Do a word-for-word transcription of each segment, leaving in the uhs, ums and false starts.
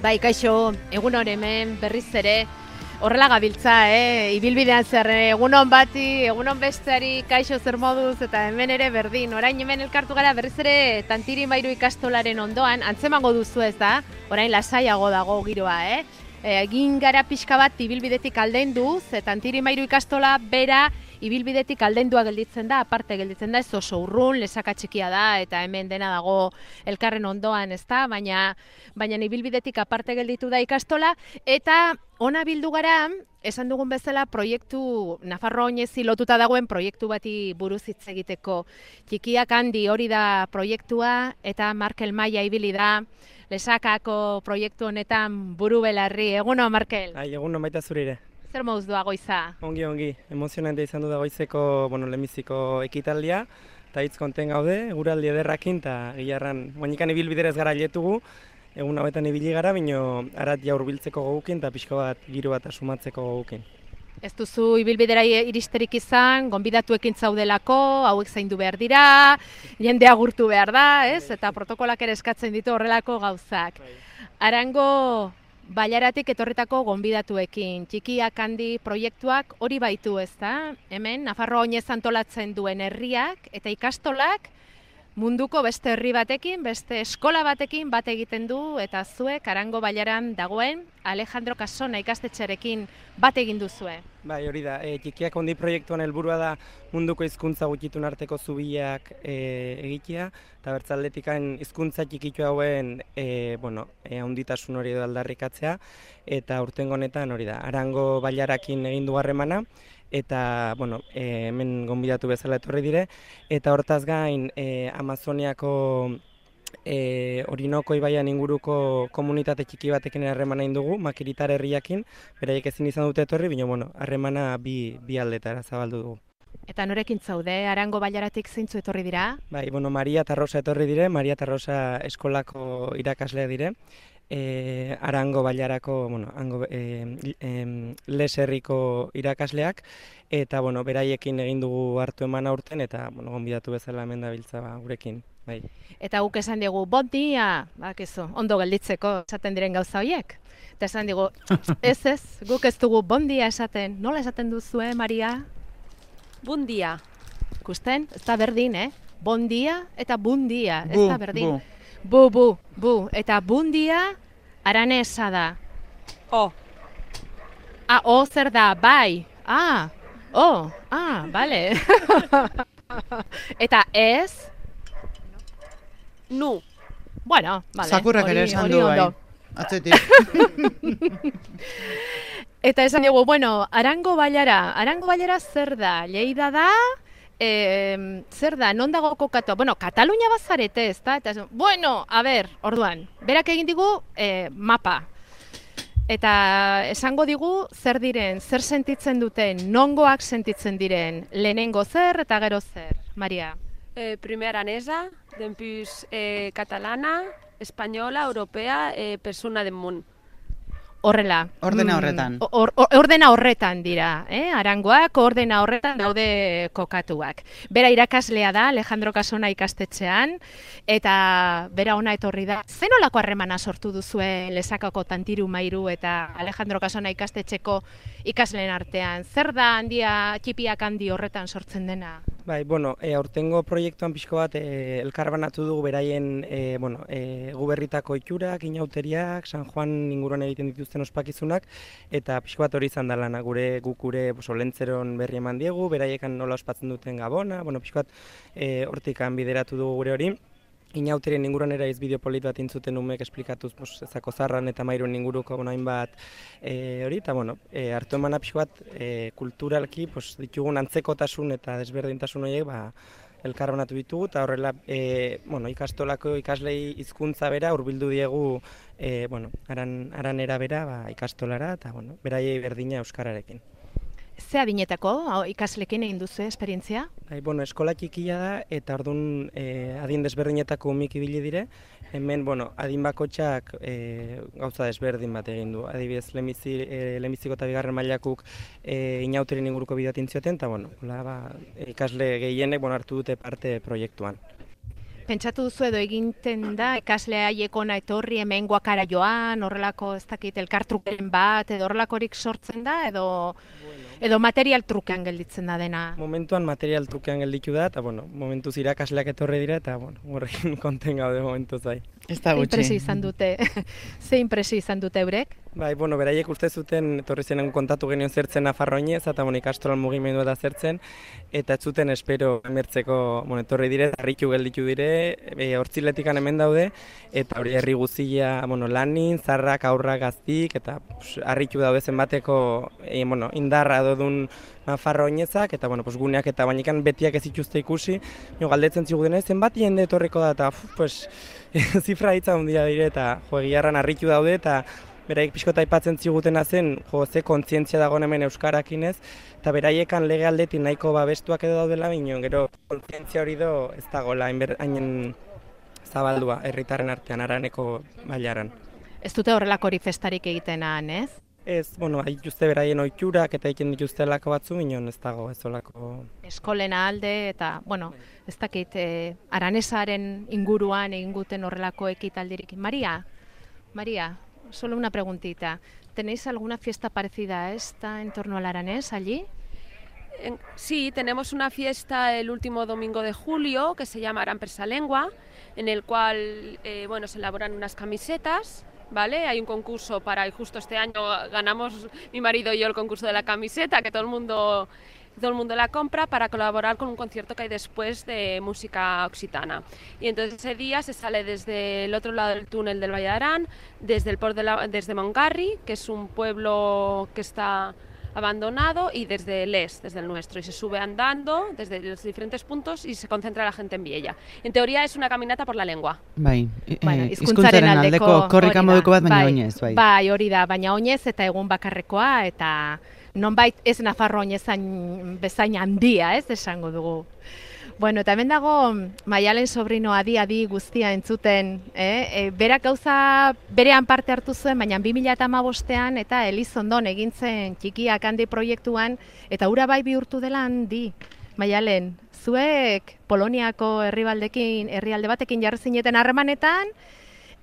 Bai, kaixo, egun hor hemen berriz ere horrela gabiltza, eh? Ibilbidean zer, egunon bati, egunon besteari, kaixo zer moduz, eta hemen ere berdin. Orain hemen elkartu gara berriz ere Tantiri Mairu ikastolaren ondoan, antzemango duzu ez da, orain lasaiago dago giroa, eh? Egin gara pixka bat ibilbidetik aldenduz, Tantiri Mairu ikastola bera ibilbidetik aldendua gelditzen da, aparte gelditzen da, ez oso urrun, lesaka txikia da, eta hemen dena dago elkarren ondoan, ez da, baina, baina ibilbidetik aparte gelditu da ikastola, eta ona bildu gara, esan dugun bezala, proiektu, Nafarroa oinezi lotuta dagoen proiektu bati buruz hitz egiteko. Txikiak handi hori da proiektua, eta Markel Maia ibili da, lesakako proiektu honetan buru belarri. Eguno, Markel? Ai, eguno baita zurire. Zer moduz doa goiza? Ongi, ongi. Emozionante izan du da goizeko, bueno, lehenbiziko ekitaldia, eta hitz konten gaude, eguraldi ederrakin, eta gilarran, guainikan ibilbiderez gara letugu, egun hauetan ibili gara, bino arat ja hurbiltzeko gogukin, eta pixko bat giro bat asumatzeko gogukin. Ez duzu ibilbidera iristerik izan, gonbidatuekin zaudelako, hauek zaindu behar dira, jende agurtu behar da, ez? Eta protokolak ere eskatzen ditu horrelako gauzak. Arango Bailaratik etorritako gonbidatuekin, txikiak handi proiektuak hori baitu, ez da? Hemen, Nafarroa oinez antolatzen duen herriak eta ikastolak munduko beste herri batekin, beste eskola batekin bat egiten du, eta zuek Arango Bailaran dagoen Alejandro Casona ikastetxearekin bat egin duzue. Bai, hori da, e, txikiak handi proiektuan helburua da munduko hizkuntza gutxitun arteko zubiak e, egitea, eta bertzaldetikan hizkuntza txikitu hauen e, bueno, e, handitasun hori edo aldarrikatzea, eta urtengo honetan hori da, Arango Bailarakin egin du harremana, eta bueno, e, hemen gonbidatu bezala etorri dire, eta hortaz gain e, Amazoniako e, Orinoko ibaian inguruko komunitate txiki batekin harremana egin dugu, Makiritar herriakin, beraiek ezin izan dute etorri, baina bueno, harremana bi, bi aldetara zabaldu dugu. Eta norekin zaude, Arango Bailaratik zeintzu etorri dira? Bai, bueno, Maria eta Rosa etorri dire, Maria eta Rosa eskolako irakasleak dire, E, Arango Bailarako, bueno, hango, e, e, Les herriko irakasleak, eta bueno, beraiekin egin dugu hartu eman aurten, eta bueno, gonbidatu bezala hemen dabiltza ba, gurekin. Bai. Eta guk esan digu, bon dia, bakizu, ondo gelditzeko esaten diren gauza horiek. Eta esan digu, ez ez, guk ez dugu bon dia esaten. Nola esaten duzue, Maria? Bun dia. Ikusten, ez da berdin, eh? Bon dia eta bun dia, ez Bu, da berdin. bu. Bu, bu, bu. Eta bun dia aranesa da. O. Ah, o zer da, bai. Ah, o, ah, bale. Eta ez? Nu. Bueno, bale. Sakurrak ere hori- esan hori du bai. ondo. Atzetik. Eta esan dugu, bueno, Arango Bailara, Arango Bailara zer da? Lleida da? E, zer da, non dago kokatua? Bueno, Katalunia bazarete, ez da? Eta, esan, bueno, a ber, orduan, berak egin digu e, mapa. Eta esango digu zer diren, zer sentitzen duten, nongoak sentitzen diren, lehenengo zer eta gero zer, Maria? Eh, primer aranesa, dempús eh, catalana, espanyola, europea, eh, persona del món. Horrela. Ordena Mm, horretan. Or, or, ordena horretan dira, eh? Arangoak ordena horretan daude kokatuak. Bera irakaslea da, Alejandro Casona ikastetxean, eta bera ona etorri da. Zenolako harremana sortu duzue Lesakako Tantiri Mairu eta Alejandro Casona ikastetxeko ikasleen artean? Zer da handia, txipiak handi horretan sortzen dena? Bai, bueno, e, aurtengo proiektuan pixko bat e, elkarbanatu dugu beraien e, bueno, e, guberritako itxurak, inauteriak, San Juan inguruan egiten dituzten ospakizunak, eta pixko bat hori izan da lana, gure guk gure pues, olentzeron berri eman diegu, beraiekan nola ospatzen duten Gabona, bueno, pixko bat e, hortikan bideratu dugu gure hori. Inauterien inguruan era iz bideo polit bat intzuten umek esplikatuz pues, ezako zarran eta mairuen inguruko bueno, hainbat e, hori, eta bueno, e, hartu eman pixko bat e, kulturalki pues, ditugun antzekotasun eta desberdintasun horiek ba, elkarbanatu ditugu, eta horrela e, bueno, ikastolako ikaslei hizkuntza bera hurbildu diegu e, bueno, aran, aranera bera ba, ikastolara, eta bueno, beraiei berdina euskararekin. Ze adinetako hau, ikaslekin egin duzu esperientzia? Bai, bueno, eskola txikia da, eta orduan e, adin desberdinetako umik ibili dire. Hemen, bueno, adin bakotxak e, gauza desberdin bat egin du. Adibidez, lehenbizi, e, lehenbiziko eta bigarren mailakuk e, inauterin inguruko bidatin zioten, eta bueno, hola, ba, ikasle gehienek bueno, hartu dute parte proiektuan. Pentsatu duzu edo eginten da, ikaslea haiekona etorri hemen guakara joan, horrelako ez dakit elkartrukeren bat, edo horrelakorik sortzen da, edo, edo material trukean gelditzen da dena? Momentuan material trukean gelditu da, eta bueno, momentuz irakasleak etorri dira, eta bueno, horrekin konten gaude momentuz bai. Ez da Ze gutxi. impresio izan dute, ze impresio izan dute eurek? Bai, bueno, beraiek uste zuten, etorri zenen kontatu genio zertzen Nafarroinez, eta bueno, ikastolan mugimendua da zertzen, eta ez zuten espero emertzeko, bueno, etorri dire, harritu gelditu dire, e, hortziletikan hemen daude, eta hori herri guztia, bueno, lanin, zarrak, aurrak, gaztik, eta pues, harritu daude zenbateko, e, bueno, indarra dodun Nafarroinezak, eta bueno, pues, guneak eta bainikan betiak ez ituzte ikusi, jo, galdetzen ziguten zenbat jende etorriko da, eta uf, pues, zifra hitza handia dire, eta jo, egiarran harritu daude, eta beraiek pixkota aipatzen zigutena zen, jo, ze kontzientzia dagoen hemen euskarakinez, eta beraiekan lege aldetik nahiko babestuak edo daudela, bino, gero kontzientzia hori do ez dagoela hainen zabaldua herritarren artean, araneko bailaran. Ez dute horrelakori festarik egiten han, ez? Ez, bueno, dituzte beraien ohiturak eta egiten dituzte lako batzu, minon ez dago ez olako... Eskolena alde eta, bueno, ez dakit, eh, aranesaren inguruan egin guten horrelako ekitaldirik. María, María, solo una preguntita. ¿Tenéis alguna fiesta parecida a esta en torno al aranés allí? En- Sí, tenemos una fiesta el último domingo de julio que se llama Aran Persa Lengua, en el cual eh, bueno, se elaboran unas camisetas, ¿vale? Hay un concurso para, y justo este año ganamos mi marido y yo el concurso de la camiseta, que todo el mundo, todo el mundo la compra para colaborar con un concierto que hay después de música occitana. Y entonces ese día se sale desde el otro lado del túnel del Valle de Arán, desde el port de la, desde Montgarry, que es un pueblo que está abandonado, y desde Les, desde el nuestro, y se sube andando desde los diferentes puntos y se concentra la gente en Viella. En teoría es una caminata por la lengua. Bai, e, Bueno, e, hizkuntzaren aldeko korrika hori da. moduko bat, baina Bai, oinez, bai. Bai, hori da, baina oinez eta egun bakarrekoa, eta nonbait ez Nafarro oinezain bezain handia, ez esango dugu. Bueno, eta hemen dago Maialen sobrino adi-adi guztia entzuten, eh? E, berak gauza berean parte hartu zuen, baina bi mila hamabostean eta Elizondon egin zen txikiak handi proiektuan, eta hura bai bihurtu dela handi. Maialen, zuek Poloniako herribaldekin, herrialde batekin jarri zineten harremanetan,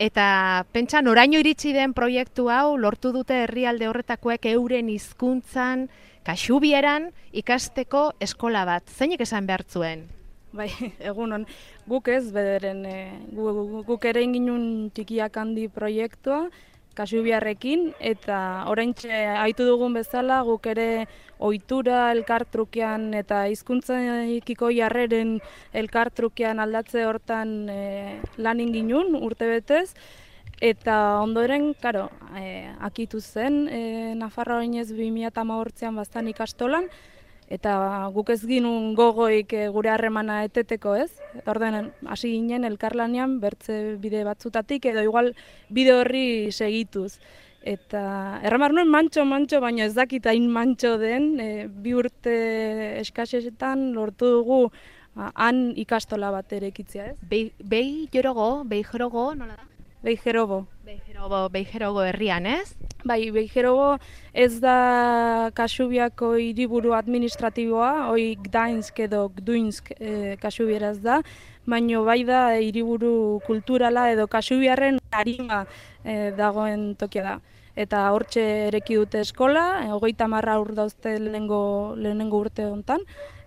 eta pentsa noraino iritsi den proiektu hau lortu dute herrialde horretakoek euren hizkuntzan, kaxubieran ikasteko eskola bat. Zeinek esan behar zuen? Bai, egunon, guk ez, bederen, e, gu, gu, guk ere inginun txikiak handi proiektua, Kasubiarrekin, eta oraintxe aitu dugun bezala guk ere ohitura elkartrukean eta hizkuntzakiko jarreren elkartrukean aldatze hortan e, lan inginun urtebetez, eta ondoren, karo, e, akitu zen e, Nafarroa oinez bi mila hemezortzian baztan ikastolan, eta guk ez ginun gogoik e, gure harremana eteteko, ez? Orduan hasi ginen elkarlanean bertze bide batzutatik edo igual bide horri segituz. Eta erramar nuen mantxo-mantxo, baina ez dakit hain mantxo den, e, bi urte eskasetan lortu dugu a, han ikastola bat erekitzea, ez? Bei, bei jorogo, bei jorogo, nola da? Beijerobo. Beijerogo, Beijerogo herrian, ez? Bai, Beijerogo ez da Kasubiako hiriburu administratiboa, hoi Gdańsk edo Gduńsk e, Kasubieraz da, baina bai da hiriburu kulturala edo Kasubiarren arima e, dagoen tokia da. Eta hortxe ereki dute eskola, hogeita hamarra ur dauzte lehenengo, lehenengo urte hontan,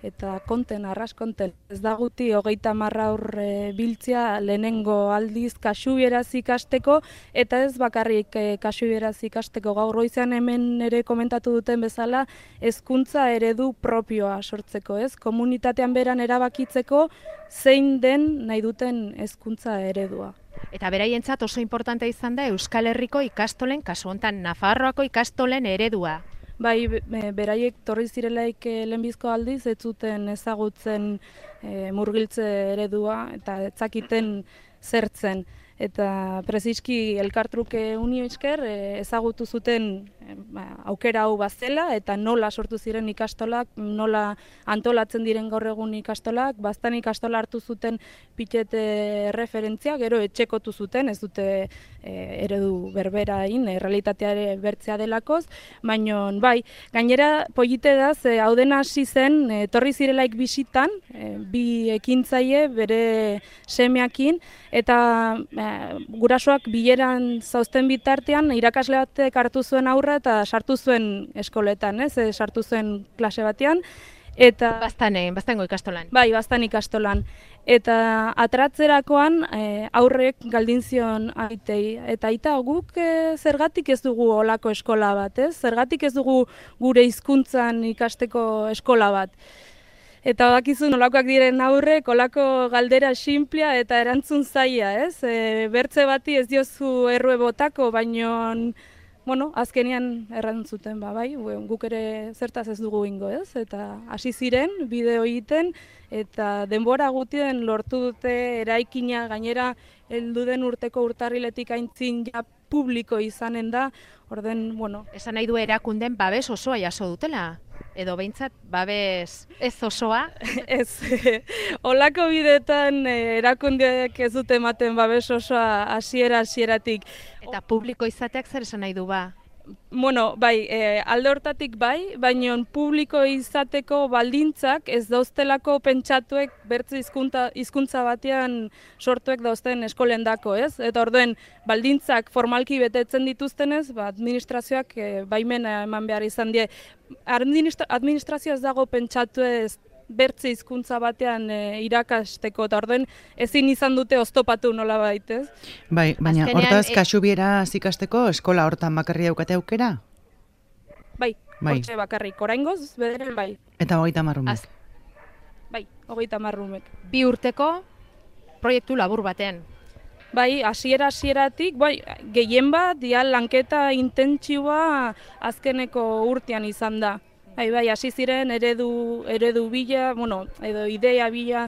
eta konten, arras konten. Ez da guti hogeita hamarra ur e, biltzia lehenengo aldiz kasubieraz ikasteko, eta ez bakarrik e, kasubieraz ikasteko. Gaur goizean hemen ere komentatu duten bezala, hezkuntza eredu propioa sortzeko, ez? Komunitatean beran erabakitzeko zein den nahi duten hezkuntza eredua. Eta beraientzat oso importante izan da Euskal Herriko ikastolen, kasu hontan Nafarroako ikastolen eredua. Bai, be- beraiek torri zirelaik eh, lehenbizko aldiz, ez zuten ezagutzen eh, murgiltze eredua eta ez zakiten zertzen. Eta preziski elkartruke unio esker eh, ezagutu zuten aukera hau bazela eta nola sortu ziren ikastolak, nola antolatzen diren gaur egun ikastolak, baztan ikastola hartu zuten pitete referentzia, gero etxekotu zuten, ez dute e, eredu berberain, e, realitatea bertzea delakoz, baina bai, gainera polite da, ze hau dena hasi zen, etorri zirelaik bisitan, e, bi ekintzaile bere semeakin, eta e, gurasoak bileran zauzten bitartean, irakasle batek hartu zuen aurra eta sartu zuen eskoletan, ez, e, sartu zuen klase batean, eta Baztanen, baztango ikastolan. bai, baztan ikastolan. Eta atratzerakoan e, aurrek galdin zion aitei. Eta aita guk e, zergatik ez dugu olako eskola bat, ez? Zergatik ez dugu gure hizkuntzan ikasteko eskola bat. Eta bakizu nolakoak diren aurrek, olako galdera sinplea eta erantzun zaila, ez? E, bertze bati ez diozu errue botako, baino bueno, azkenean errantzuten, ba, bai, guk ere zertaz ez dugu ingo, ez? Eta hasi ziren, bideo egiten, eta denbora gutien lortu dute eraikina, gainera heldu den urteko urtarriletik aintzin ja publiko izanen da, orden, bueno. Esan nahi du erakunden babes osoa jaso dutela? Edo behintzat babes ez osoa? Ez, olako bidetan erakundeak ez dute ematen babes osoa hasiera hasieratik. Eta publiko izateak zer esan nahi du ba? Bueno, bai, e, alde hortatik bai, baina publiko izateko baldintzak ez dauztelako pentsatuek bertze hizkuntza hizkuntza batean sortuek dauzten eskolendako, ez? Eta orduen baldintzak formalki betetzen dituztenez, ba, administrazioak e, baimena eman behar izan die. Administra administrazioa ez dago pentsatu ez bertze hizkuntza batean e, irakasteko, eta orduen ezin izan dute oztopatu nola baitez. Bai, baina Azkenean, hortaz e- kasubieraz ikasteko eskola hortan bakarri daukate aukera? Bai, Bai. hortxe bakarrik, oraingoz, bederen bai, Eta hogeita hamar ume. Az- bai, hogeita hamar umek. Bi urteko proiektu labur batean. Bai, hasiera hasieratik, bai, gehien bat, dia lanketa intentsiboa azkeneko urtean izan da. Bai, bai, hasi ziren eredu, eredu bila, bueno, edo idea bila,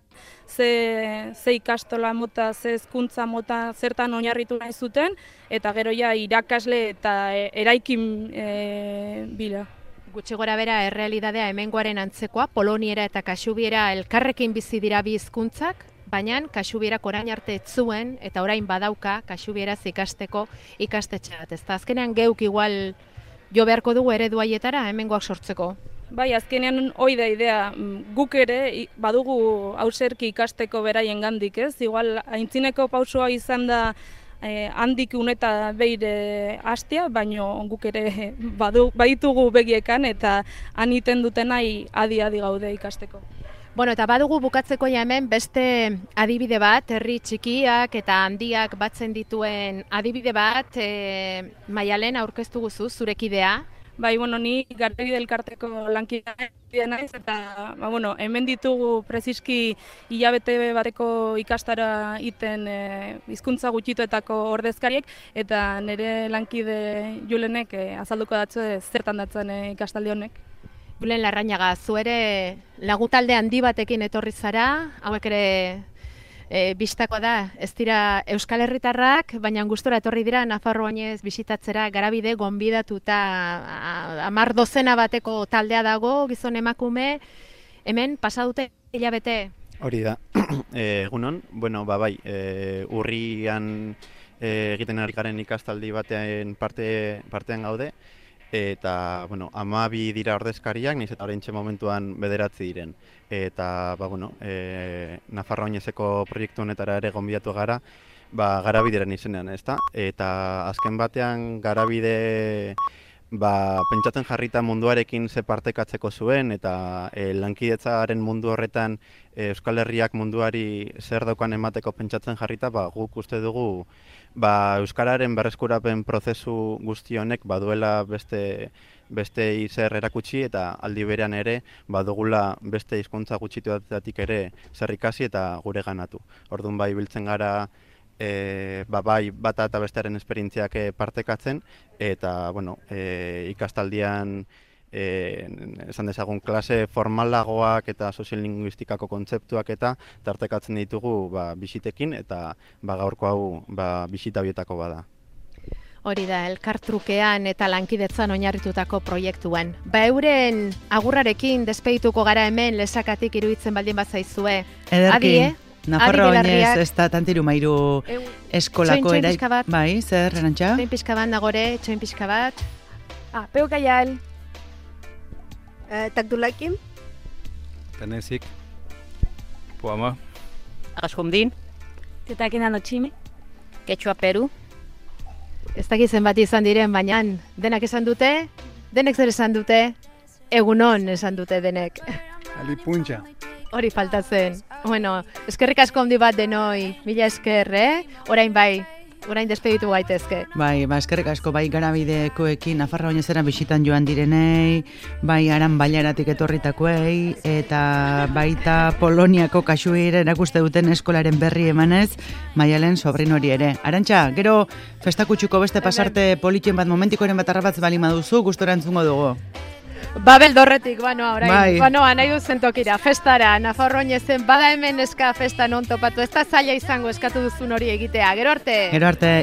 ze, ze ikastola mota, ze hezkuntza mota, zertan oinarritu nahi zuten, eta gero ja irakasle eta e, eraikin e, bila. Gutxi gora bera errealidadea hemengoaren antzekoa, poloniera eta kasubiera elkarrekin bizi dira bi hizkuntzak, baina kasubierak orain arte ez zuen eta orain badauka kasubieraz ikasteko ikastetxe bat. Ez da azkenean geuk igual jo beharko dugu eredu haietara hemengoak sortzeko. Bai, azkenean hoi da idea, guk ere i- badugu hauserki ikasteko beraien gandik, ez? Igual, aintzineko pausua izan da eh, handik uneta beire hastea, baino guk ere badu, baditugu begiekan eta han iten dutenai adi-adi gaude ikasteko. Bueno, eta badugu bukatzeko ja hemen beste adibide bat, herri txikiak eta handiak batzen dituen adibide bat, e, Maialen aurkeztu guzu, zurekidea. Bai, bueno, ni Garabide elkarteko lankidea naiz eta ba, bueno, hemen ditugu preziski hilabete bateko ikastara iten e, hizkuntza gutxituetako ordezkariek eta nire lankide Julenek e, azalduko datzu zertan datzen e, ikastaldi honek. Julen Larrañaga, zu ere lagutalde handi batekin etorri zara, hauek ere e, bistako da, ez dira Euskal Herritarrak, baina gustora etorri dira Nafarro oinez bisitatzera Garabide gonbidatuta hamar dozena bateko taldea dago, gizon emakume, hemen pasa dute hilabete. Hori da, e, egunon, bueno, ba bai, e, urrian e, egiten ari garen ikastaldi batean parte, partean gaude, eta, bueno, hamabi dira ordezkariak, nahiz eta oraintxe momentuan bederatzi diren. Eta, ba, bueno, e, Nafarroa oinezeko proiektu honetara ere gonbidatu gara, ba, Garabideren izenean, ezta? Eta azken batean Garabide ba, pentsatzen jarrita munduarekin ze partekatzeko zuen, eta e, lankidetzaren mundu horretan e, Euskal Herriak munduari zer daukan emateko pentsatzen jarrita, ba, guk uste dugu ba, euskararen berreskurapen prozesu guzti honek baduela beste beste zer erakutsi eta aldi berean ere badugula beste hizkuntza gutxituetatik ere zer ikasi eta gure ganatu. Orduan bai biltzen gara E, ba, bai bata eta bestearen esperientziak e, partekatzen, eta bueno, e, ikastaldian e, esan dezagun klase formalagoak eta soziolinguistikako kontzeptuak eta tartekatzen ditugu ba, bisitekin, eta ba, gaurko hau ba, bisita horietako bada. Hori da, elkartrukean eta lankidetzan oinarritutako proiektuen. Ba euren agurrarekin despedituko gara hemen lesakatik iruditzen baldin bazaizue. Ederki, Adi, eh? Nafarro Adi oinez belarriak. ez da tantiru mairu Eu- eskolako txoin, txoin erai. pixka bat. Bai, zer, Arantxa? Txoin pixka bat nagore, txoin pixka bat. Ah, peukaial. Uh, Takdulakim. Tenezik. Puama. Agasjundin. Tetakin anotxime. Quechua Peru. Ez dakit zenbat izan diren, baina denak esan dute, denek zer esan dute, egunon esan dute denek. Alipuntxa. Hori faltatzen. Bueno, eskerrik asko handi bat denoi, mila esker, eh? Orain bai, orain despeditu gaitezke. Bai, ba, eskerrik asko bai garabidekoekin Nafarra oinezera bisitan joan direnei, bai aran bailaratik etorritakoei, eta baita Poloniako kasuire erakuste duten eskolaren berri emanez, Maialen sobrinori ere. Arantxa, gero festakutxuko beste pasarte politxen bat momentikoren bat arrabatz bali maduzu, gustora entzungo dugu. Babel dorretik, banoa, orain, Bai. banoa, nahi duzen tokira, festara, Nafarro oinezen, bada hemen eska festa non topatu, ez da zaila izango eskatu duzun hori egitea, gero arte! Gero arte,